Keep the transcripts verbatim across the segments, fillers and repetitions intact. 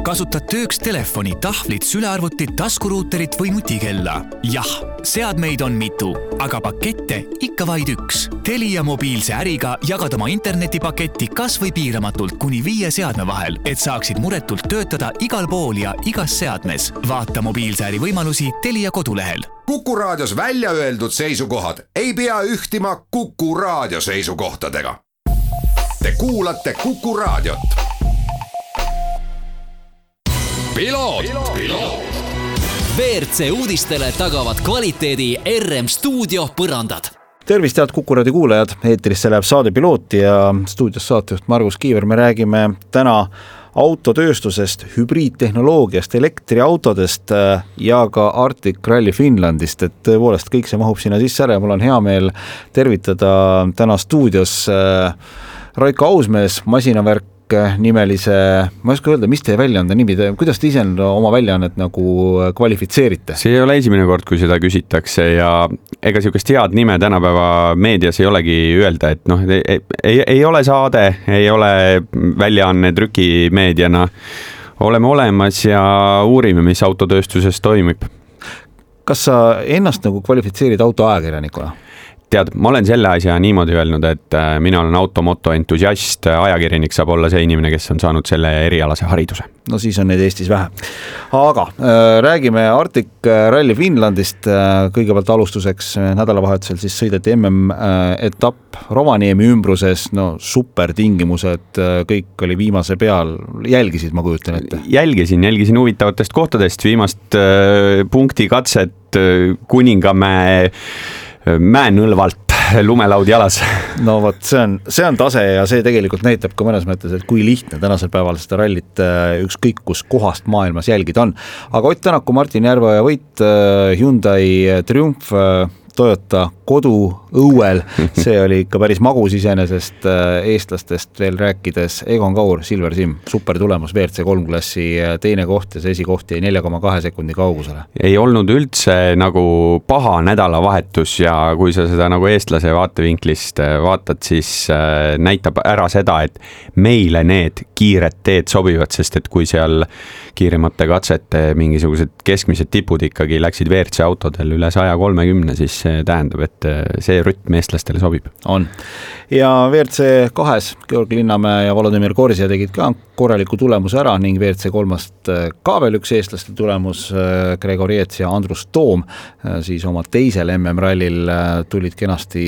kasutad tööks telefoni, tahvlit, sülearvutit, taskuruuterit või nutikella? Jah, seadmeid on mitu, aga pakette ikka vaid üks. Telia mobiilse äriga jagad oma internetipaketti kas või piiramatult kuni viie seadme vahel, et saaksid muretult töötada igal pool ja igas seadmes. Vaata mobiilse äri võimalusi Telia kodulehel. Kuku Raadios välja öeldud seisukohad ei pea ühtima Kuku Raadio seisukohtadega. Te kuulate Kuku Raadiot. Piloot, piloot. V R C uudistele tagavad kvaliteedi R M Stuudio põrandad. Tervist, head Kuku Raadio kuulajad. Eetrisse läheb saade Piloot ja stuudios saatejuht Margus Kiiver. Me räägime täna autotööstusest, hübriidtehnoloogiast, elektriautodest ja ka Arctic Rally Finlandist, et tõepoolest kõik see mahub sinna sisse ära ja mul on hea meel tervitada täna stuudios Raiko Ausmees, Masinavärk nimelise, ma ei oska öelda, mis teie väljaande nimi, kuidas te ise oma väljaannet nagu kvalifitseerite? See ei ole esimene kord, kui seda küsitakse ja ega siukest head nime tänapäeva meedias ei olegi öelda, et noh, ei, ei, ei ole saade, ei ole väljaanne trükimeediana, oleme olemas ja uurime, mis autotööstuses toimib. Kas sa ennast nagu kvalifitseerid autoajakirjanikuna? Tead, ma olen selle asja niimoodi öelnud, et mina olen automoto entusiast, ajakirjanik saab olla see inimene, kes on saanud selle erialase hariduse. No siis on neid Eestis vähe. Aga äh, räägime Arctic Rally Finlandist. Kõigepealt alustuseks nädalavahetusel siis sõideti M M-etapp Rovaniemi ümbruses, no super tingimused, kõik oli viimase peal. Jälgisid, ma kujutan ette? Jälgisin, jälgisin huvitavatest kohtadest, viimast äh, punkti katset äh, Kuningamäe mäenõlvalt lumelaud jalas. No vot, see on, see on tase ja see tegelikult näitab ka mõnes mõttes, et kui lihtne tänasel päeval seda rallit ükskõik kus kohast maailmas jälgida on. Aga Ott Tänaku, Martin Järveoja võit, Hyundai Triumph, Toyota kodu õuel, see oli ikka päris magus iseenesest eestlastest veel rääkides. Egon Kaur, Silver Sim, super tulemus, V R C kolm klassi teine koht ja see esikoht jäi nelja koma kahe sekundi kaugusele. Ei olnud üldse nagu paha nädalavahetus ja kui sa seda nagu eestlase vaatevinklist vaatad, siis näitab ära seda, et meile need kiired teed sobivad, sest et kui seal kiiremate katsete mingisugused keskmised tipud ikkagi läksid V R C autodel üle saja kolmekümne, siis see tähendab, et see rütm eestlastele sobib. On. Ja V R C kahes Georg Linnamäe ja Volodymyr Korsja tegid ka korraliku tulemuse ära ning V R C kolmast ka veel üks eestlaste tulemus, Gregor Jets ja Andrus Toom, siis oma teisel M M-rallil tulid kenasti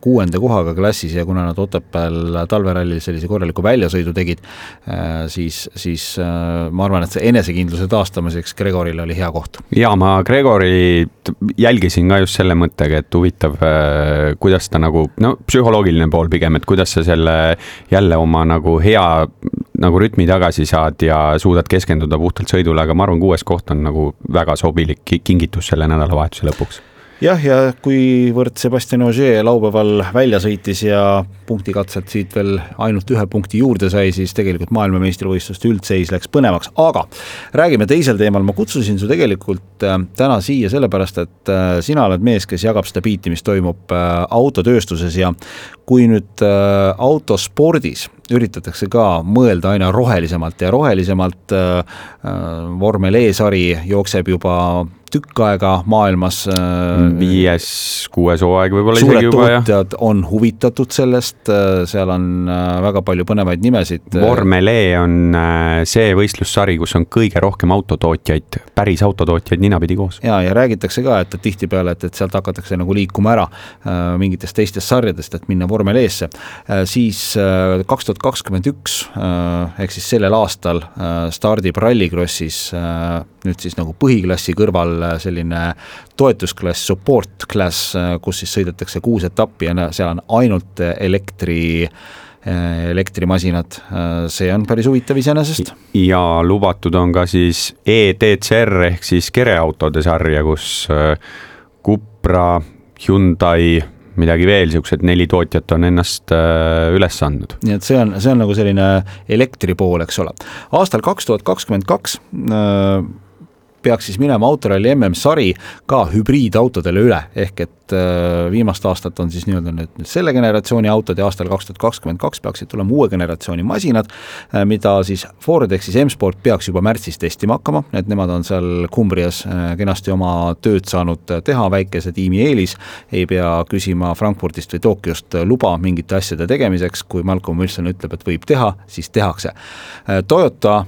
kuuenda kohaga klassis ja kuna nad Otepääl talverallil sellise korraliku väljasõidu tegid, siis, siis ma arvan, et see enesekindluse taastamiseks Gregoril oli hea koht. Ja ma Gregori jälgisin ka just selle mõttega, et huvitav, kuidas ta nagu, no psühholoogiline pool pigem, et kuidas sa selle jälle oma nagu hea nagu rütmi tagasi saad ja suudad keskenduda puhtalt sõidule, aga ma arvan, kuues koht on nagu väga sobilik kingitus selle nädalavahetuse lõpuks. Jah, ja kuivõrd Sebastian Ogier laupäeval välja sõitis ja punktikatselt siit veel ainult ühe punkti juurde sai, siis tegelikult maailmameistrivõistluste üldseis läks põnevaks. Aga räägime teisel teemal. Ma kutsusin su tegelikult täna siia sellepärast, et sina oled mees, kes jagab seda biiti, mis toimub autotööstuses ja kui nüüd autospordis üritatakse ka mõelda aina rohelisemalt ja rohelisemalt, vormel E-sari jookseb juba tükk aega maailmas. Viies, kuues hooaeg võib-olla isegi juba. Suured tootjad on huvitatud sellest, seal on väga palju põnevaid nimesid. Vormel E on see võistlussari, kus on kõige rohkem autotootjaid, päris autotootjaid ninapidi koos. Ja, ja räägitakse ka, et tihti peale, et, et sealt hakatakse nagu liikuma ära mingitest teistest sarjadest, et minna Vormel E-sse. Siis kaks tuhat kakskümmend üks ehk siis sellel aastal stardib rallikrossis nüüd siis nagu põhiklassi kõrval selline toetusklass, support class, kus siis sõidetakse kuus etappi ja seal on ainult elektri, elektrimasinad. See on päris huvitav iseenesest. Ja lubatud on ka siis E T C R ehk siis kereautode sarja, kus Cupra, Hyundai, midagi veel, siuksed neli tootjat on ennast üles andnud. Nii et see on, see on nagu selline elektri pool, eks ole. Aastal kaks tuhat kakskümmend kaks peaks siis minema autoralli M M-sari ka hübriidautodele üle, ehk et et viimast aastat on siis nii-öelda nüüd selle generatsiooni autod ja aastal kaks tuhat kakskümmend kaks peaksid tulema uue generatsiooni masinad, mida siis Ford ehk siis M-Sport peaks juba märtsis testima hakkama, et nemad on seal Cumbrias kenasti oma tööd saanud teha, väikese tiimi eelis, ei pea küsima Frankfurtist või Tokyost luba mingite asjade tegemiseks, kui Malcolm Wilson ütleb, et võib teha, siis tehakse. Toyota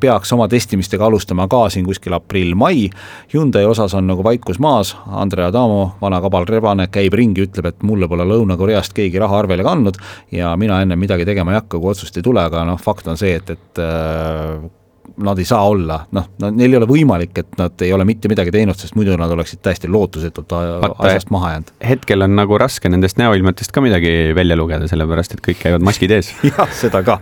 peaks oma testimistega alustama ka siin kuskil aprill-mai, Hyundai osas on nagu vaikus maas, Andre Adamo, vana kabal rebane, käib ringi, ütleb, et mulle pole Lõuna-Koreast keegi raha arvele kandnud ja mina enne midagi tegema ei hakka, kui otsust ei tule, aga noh, fakt on see, et, et nad ei saa olla, noh, neil ei ole võimalik, et nad ei ole mitte midagi teinud, sest muidu nad oleksid täiesti lootusetult asjast maha jäänud. Hetkel on nagu raske nendest näoilmetest ka midagi välja lugeda, sellepärast, et kõik käivad maskid ees. jah, seda ka.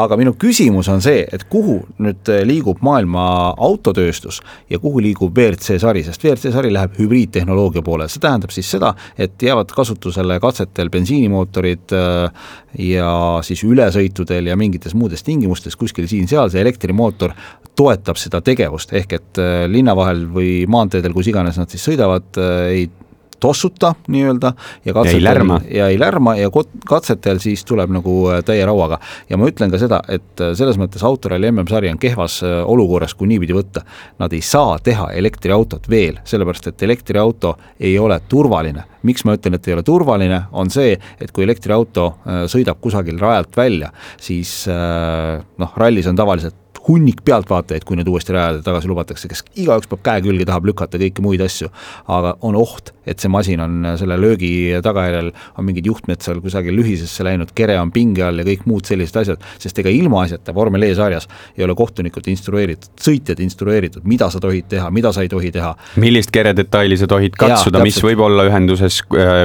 Aga minu küsimus on see, et kuhu nüüd liigub maailma autotööstus ja kuhu liigub V R C sari, sest V R C sari läheb hübriidtehnoloogia poole. See tähendab siis seda, et jäävad kasutusele katsetel bensiinimootorid ja siis ülesõitudel ja mingites muudes tingimustes kuskil siin-seal see elektrimootor toetab seda tegevust, ehk et linna vahel või maanteedel, kus iganes nad siis sõidavad, ei tossuta nii-öelda ja, ja ei lärma ja ei lärma ja katsetel siis tuleb nagu täie rauaga. Ja ma ütlen ka seda, et selles mõttes autoralli M M-sari on kehvas olukorras, kui niipidi võtta. Nad ei saa teha elektriautot veel, sellepärast et elektriauto ei ole turvaline. Miks ma ütlen, et ei ole turvaline, on see, et kui elektriauto sõidab kusagil rajalt välja, siis noh, rallis on tavaliselt hunnik pealtvaatajaid, kui need uuesti rajale tagasi lubatakse, kes igaüks peab käe külge tahab lükata kõiki muid asju, aga on oht, et see masin on selle löögi tagajärjel, on mingid juhtmed seal kusagil lühisesse läinud, kere on pinge all ja kõik muud sellised asjad, sest ega ilma asjata Vormel E-sarjas ei ole kohtunikud instrueeritud, sõitjad instrueeritud, mida sa tohid teha, mida sa ei tohi teha. Millist keredetaili sa tohid katsuda, ja, mis võib olla ühenduses,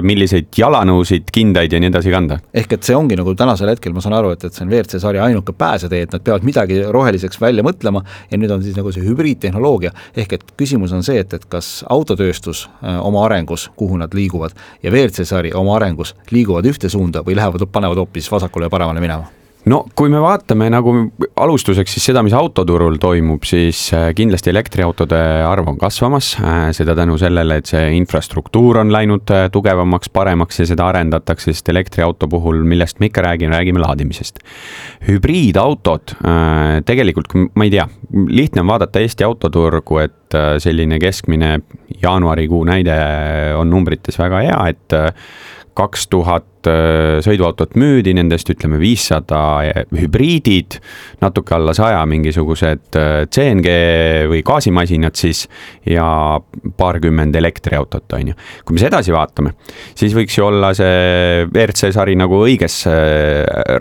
milliseid jalanõusid, kindaid ja nii edasi kanda? Ehk et see ongi nagu tänasel hetkel, ma saan aru, et, et see on V R C sari ainuke pääsetee, et nad peavad midagi roheliseks välja mõtlema ja nüüd on siis nagu see hübriidtehnoloogia, ehk et küsimus on see, et, et kas autotööstus oma arengus, kuhu nad liiguvad ja V R C sari oma arengus liiguvad ühte suunda või lähevad, panevad hoopis vasakule ja paremale minema? No kui me vaatame nagu alustuseks siis seda, mis autoturul toimub, siis kindlasti elektriautode arv on kasvamas, seda tänu sellele, et see infrastruktuur on läinud tugevamaks, paremaks ja seda arendatakse, sest elektriauto puhul, millest me ikka räägime, räägime laadimisest. Hübriidautod, tegelikult ma ei tea, lihtne on vaadata Eesti autoturgu, et selline keskmine jaanuarikuu näide on numbrites väga hea, et kaks tuhat sõiduautot müüdi, nendest ütleme viissada hübriidid, natuke alla saja mingisugused C N G või gaasimasinad siis ja paarkümmend elektriautot on ju. Kui me sedasi vaatame, siis võiks ju olla see V R C sari nagu õiges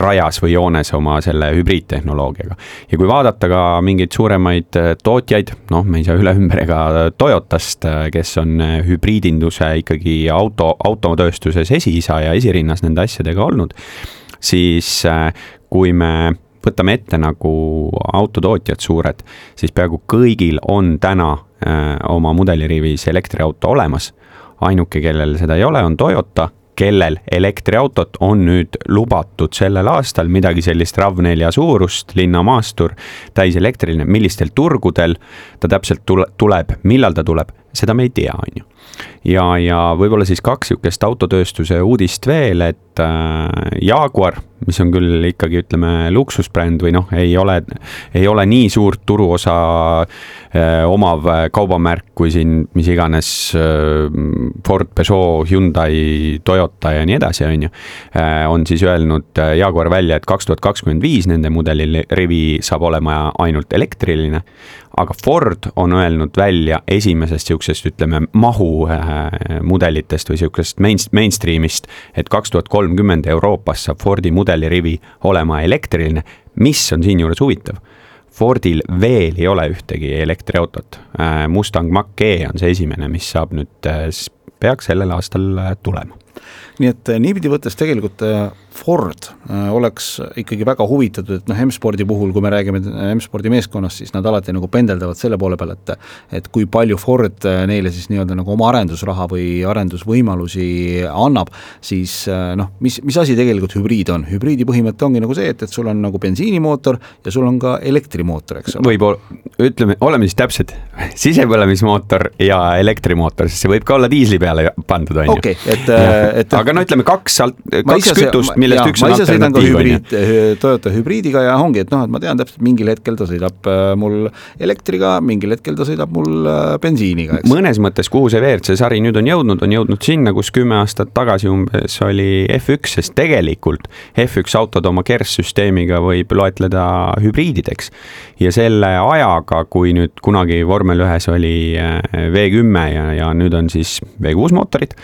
rajas või joones oma selle hübriidtehnoloogiaga. Ja kui vaadata ka mingeid suuremaid tootjaid, noh, me ei saa üle ümber ega Toyotast, kes on hübriidinduse ikkagi auto, autotööstuses esiisa ja esirinnas nende asjadega olnud, siis kui me võtame ette nagu autotootjad suured, siis peaaegu kõigil on täna oma mudelirivis elektriauto olemas. Ainuke, kellel seda ei ole, on Toyota, kellel elektriautot on nüüd lubatud sellel aastal midagi sellist RAV neli suurust, linnamaastur, täis elektriline, millistel turgudel ta täpselt tuleb, millal ta tuleb, seda me ei tea, on ju. Ja, ja võib-olla siis kaks jukest autotööstuse uudist veel, et Jaguar, mis on küll ikkagi, ütleme, luksusbränd või noh, ei ole, ei ole nii suurt turuosa eh, omav kaubamärk kui siin, mis iganes eh, Ford, Peugeot, Hyundai, Toyota ja nii edasi, on ju, eh, on siis öelnud Jaguar välja, et kaks tuhat kakskümmend viis nende mudeli rivi saab olema ainult elektriline, aga Ford on öelnud välja esimesest siuksest, ütleme, mahu mudelitest või siukest main, mainstreamist, et kaks tuhat kolmkümmend Euroopas saab Fordi mudelirivi olema elektriline. Mis on siin juures huvitav? Fordil veel ei ole ühtegi elektriautot. Mustang Mach-E on see esimene, mis saab nüüd peaks sellel aastal tulema. Nii et niipidi võttes tegelikult Ford oleks ikkagi väga huvitatud, et noh, M-spordi puhul, kui me räägime M-spordi meeskonnast, siis nad alati nagu pendeldavad selle poole peal, et, et kui palju Ford neile siis nii-öelda nagu oma arendusraha või arendusvõimalusi annab, siis noh, mis, mis asi tegelikult hübriid on? Hübriidi põhimõte ongi nagu see, et, et sul on nagu bensiinimootor ja sul on ka elektrimootor, eks ole. Võib, ütleme, oleme siis täpsed, sisepõlemismootor ja elektrimootor, sest see võib ka olla diisli peale pandud, on ju. Okay, et, et, aga no ütleme kaks, kaks kütust, millest ja, üks on alternatiiv. Hübriid, Toyota hübriidiga ja ongi, et noh, et ma tean täpselt, mingil hetkel ta sõidab mul elektriga, mingil hetkel ta sõidab mul bensiiniga. Eks? Mõnes mõttes, kuhu see V R C sari nüüd on jõudnud, on jõudnud sinna, kus kümme aastat tagasi umbes oli F üks, sest tegelikult F üks autod oma kerssüsteemiga võib loetleda hübriidideks. Ja selle ajaga, kui nüüd kunagi vormel ühes oli V kümme ja, ja nüüd on siis V kuus mootorid,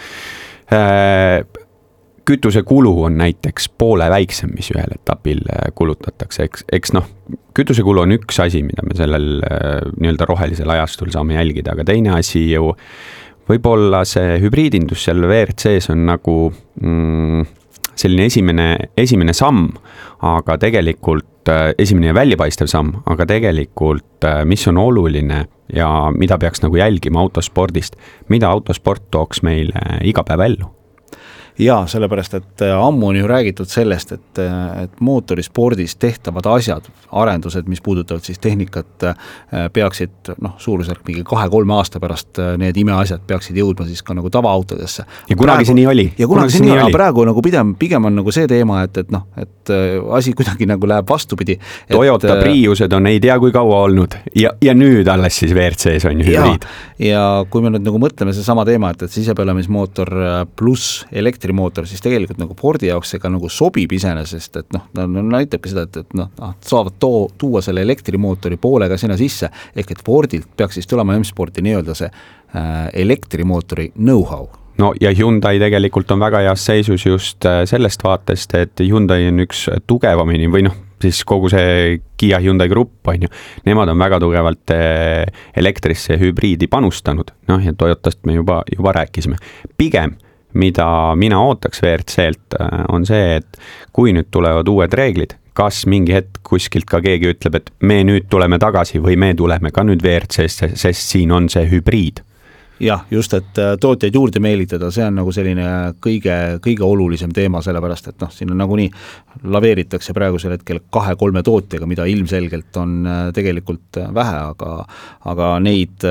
kütuse kulu on näiteks poole väiksem, mis ühel etapil kulutatakse, eks, eks noh, kütuse kulu on üks asi, mida me sellel nii-öelda rohelisel ajastul saame jälgida, aga teine asi ju võib-olla see hübriidindus seal V R C-s on nagu mm, selline esimene, esimene samm, aga tegelikult esimene ja väljapaistev samm, aga tegelikult mis on oluline ja mida peaks nagu jälgima autospordist, mida autosport tooks meile iga päev ellu? Jaa, sellepärast, et ammu on ju räägitud sellest, et, et mootorispordis tehtavad asjad, arendused, mis puudutavad siis tehnikat, peaksid noh, suurusjärk mingi kahe-kolme aasta pärast need imeasjad peaksid jõudma siis ka nagu tavaautodesse. Ja kunagi praegu, see nii oli. Ja kunagi see nii oli, aga praegu nagu pigem, pigem on nagu see teema, et, et noh, et asi kuidagi nagu läheb vastupidi. Toyota et, Priused on ei tea kui kaua olnud ja, ja nüüd alles siis V R C-s on ju hübriid. Ja, ja kui me nüüd nagu mõtleme see sama teema, et, et sisepõlemismootor pluss elektri mootor, siis tegelikult nagu Fordi jaoks see ka nagu sobib iseenesest, et noh, no, näitabki seda, et, et noh, saavad too, tuua selle elektrimootori poolega sinna sisse, ehk et Fordilt peaks siis tulema M-sporti nii-öelda see äh, elektrimootori know-how. No ja Hyundai tegelikult on väga heas seisus just sellest vaatest, et Hyundai on üks tugevamini või noh, siis kogu see Kia Hyundai grupp on ju, nemad on väga tugevalt elektrisse hübriidi panustanud, noh ja Toyotast me juba, juba rääkisime. Pigem mida mina ootaks V R C-lt, on see, et kui nüüd tulevad uued reeglid, kas mingi hetk kuskilt ka keegi ütleb, et me nüüd tuleme tagasi või me tuleme ka nüüd V R C-sse, sest siin on see hübriid. Jah, just, et tootjaid juurde meelitada, see on nagu selline kõige, kõige olulisem teema, sellepärast, et noh, siin on nagu nii laveeritakse praegusel hetkel kahe-kolme tootjaga, mida ilmselgelt on tegelikult vähe, aga, aga neid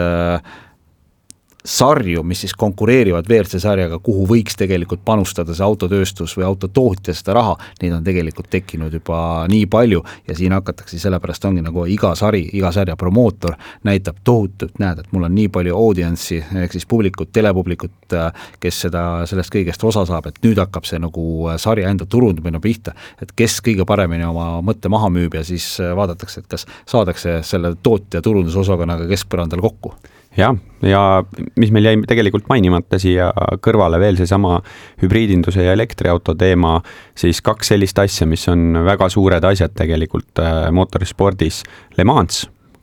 sarju, mis siis konkureerivad V R C sarjaga, kuhu võiks tegelikult panustada see autotööstus või autotootja seda raha, neid on tegelikult tekkinud juba nii palju ja siin hakatakse sellepärast ongi nagu iga sari, iga sarja promootor näitab tohutult, näed, et mul on nii palju audience'i, ehk siis publikut, telepublikut, kes seda, sellest kõigest osa saab, et nüüd hakkab see nagu sarja enda turundamine pihta, et kes kõige paremini oma mõtte maha müüb ja siis vaadatakse, et kas saadakse selle tootja turundusosakonnaga keskpõrandal kokku. Ja, ja mis meil jäi tegelikult mainimata siia kõrvale veel see sama hübriidinduse ja elektriauto teema, siis kaks sellist asja, mis on väga suured asjad tegelikult mootorispordis. Le Mans,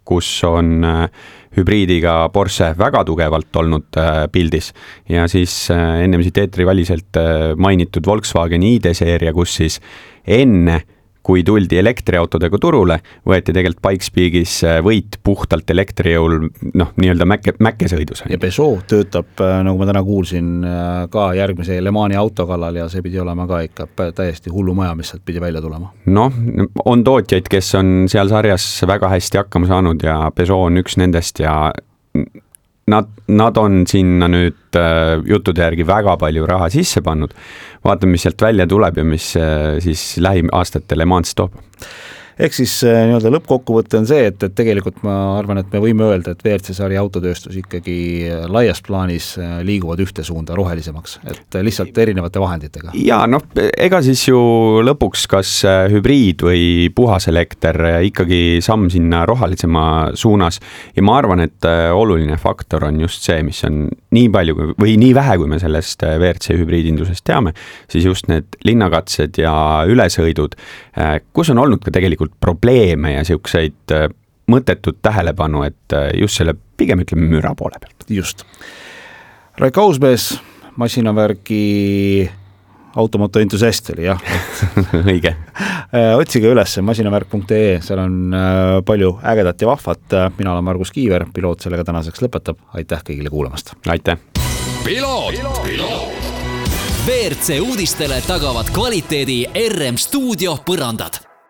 kus on hübriidiga Porsche väga tugevalt olnud pildis ja siis ennem siit eetriväliselt mainitud Volkswagen I D-seeria, kus siis enne kui tuldi elektriautodega turule, võeti tegelikult Pikespeakis võit puhtalt elektrijõul, noh, nii-öelda mäkke, mäkkesõidus. Ja Peugeot töötab, nagu ma täna kuulsin, ka järgmise Le Mani auto kallal ja see pidi olema ka ikka täiesti hullu maja, mis sealt pidi välja tulema. Noh, on tootjaid, kes on seal sarjas väga hästi hakkama saanud ja Peugeot on üks nendest ja Nad, nad on sinna nüüd äh, juttude järgi väga palju raha sisse pannud. Vaatame, mis sealt välja tuleb ja mis äh, siis lähiaastatel Le Mans toob. Ehk siis nii-öelda lõppkokkuvõte on see, et, et tegelikult ma arvan, et me võime öelda, et V R C sari autotööstus ikkagi laias plaanis liiguvad ühte suunda rohelisemaks, et lihtsalt erinevate vahenditega. Ja noh, ega siis ju lõpuks kas hübriid või puhas elekter ikkagi samm sinna rohelisema suunas ja ma arvan, et oluline faktor on just see, mis on nii palju või nii vähe, kui me sellest V R C hübriidindusest teame, siis just need linnakatsed ja ülesõidud, kus on olnud ka tegelikult probleeme ja siukseid mõttetut tähelepanu, et just selle pigem ütleme müra poole pealt. Just. Raik Ausmees, masinavärgi automoto entusiast oli jah. Õige. Otsige üles masinavärk punkt ee, seal on palju ägedat ja vahvat. Mina olen Margus Kiiver, piloot sellega tänaseks lõpetab. Aitäh kõigile kuulamast. Aitäh. Piloot, piloot. V R C uudistele tagavad kvaliteedi R M Stuudio põrandad.